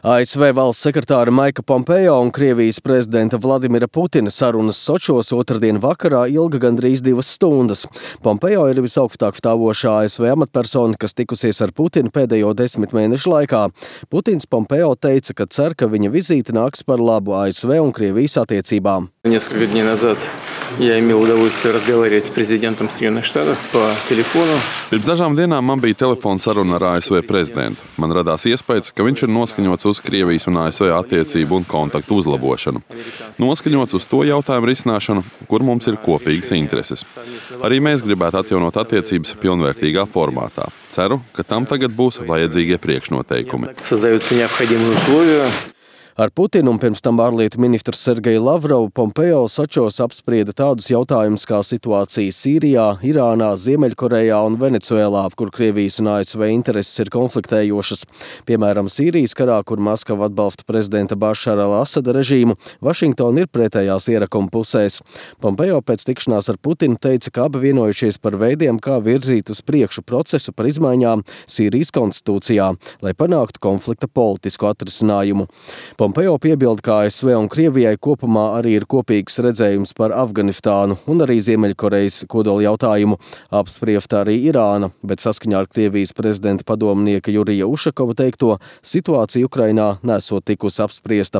ASV valsts sekretāra Maika Pompeo un Krievijas prezidenta Vladimira Putina sarunas Sočos otrdien vakarā ilga gandrīz 2 stundas. Pompeo ir visaugstāk stāvošā ASV amatpersona, kas tikusies ar Putinu pēdējo 10 mēnešu laikā. Putins Pompeo teica, ka cer, ka viņa vizīte nāks par labu ASV un Krievijas attiecībām. Несколько дней назад я имел удовольствие разговаривать с президентом Соединенных Штатов по телефону. Pirms dažām dienām man bija telefona saruna ar ASV prezidentu. Man radās iespējas, ka viņš ir noskaņots uz Krievijas un ASV attiecību un kontaktu uzlabošanu. Noskaņots uz to jautājumu risināšanu, kur mums ir kopīgas intereses. Arī mēs gribētu atjaunot attiecības pilnvērtīgā formātā. Ceru, ka tam tagad būs vajadzīgie priekšnoteikumi. Создаются необходимые условия. Ar Putinu un pirms tam ārlietu ministru Sergeju Lavrovu Pompeo Sočos apsprieda tādus jautājumus kā situācija Sīrijā, Irānā, Ziemeļkorejā un Venecuēlā, kur Krievijas un ASV intereses ir konfliktējošas. Piemēram, Sīrijas karā, kur Maskava atbalsta prezidenta Bašara al-Asada režīmu, Vašingtona ir pretējās ierakuma pusēs. Pompeo pēc tikšanās ar Putinu teica, ka abi vienojušies par veidiem, kā virzīt uz priekšu procesu par izmaiņām Sīrijas konstitūcijā, lai panāktu konflikta politisku atrisinājumu. Pompeo piebilda, ka ASV un Krievijai kopumā arī ir kopīgs redzējums par Afganistānu un arī Ziemeļkorejas kodola jautājumu. Apspriesta arī Irāna, bet saskaņā ar Krievijas prezidenta padomnieka Jurija Ušakova teikto, situācija Ukrainā nesot tikusi apspriesta.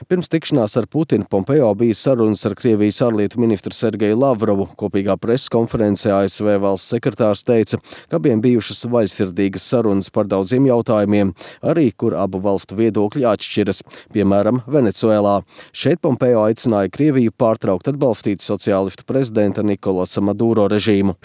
Pirms tikšanās ar Putinu Pompeo bija sarunas ar Krievijas ārlietu ministru Sergeju Lavrovu. Kopīgā preses konferencē ASV valsts sekretārs teica, ka abiem bijušas vaļsirdīgas sarunas par daudziem jautājumiem, arī kur abu valstu viedokļi atšķiras. Piemēram, Venecuēlā. Šeit Pompeo aicināja Krieviju pārtraukt atbalstīt sociālistu prezidenta Nikolasa Maduro režīmu.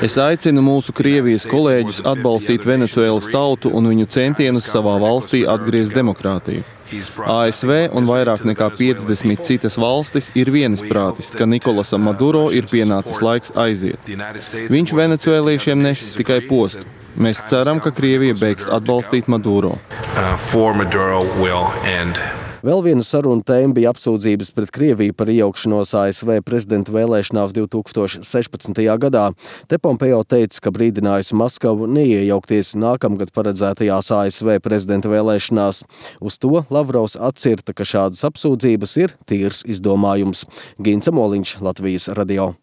Es aicinu mūsu Krievijas kolēģus atbalstīt Venecuēlas tautu un viņu centienus savā valstī atgriezt demokrātiju. ASV un vairāk nekā 50 citas valstis ir vienisprātis, ka Nikolasam Maduro ir pienācis laiks aiziet. Viņš venecuēliešiem nesis tikai postu. Mēs ceram, ka Krievija beigs atbalstīt Maduro. Vēl viena saruna tēma bija apsūdzības pret Krieviju par iejaukšanos ASV prezidenta vēlēšanās 2016. gadā. Te Pompeo teica, ka brīdinājusi Maskavu neiejaukties nākamgad paredzētajās ASV prezidenta vēlēšanās. Uz to Lavrovs atcirta, ka šādas apsūdzības ir tīrs izdomājums. Gints Amoliņš, Latvijas radio.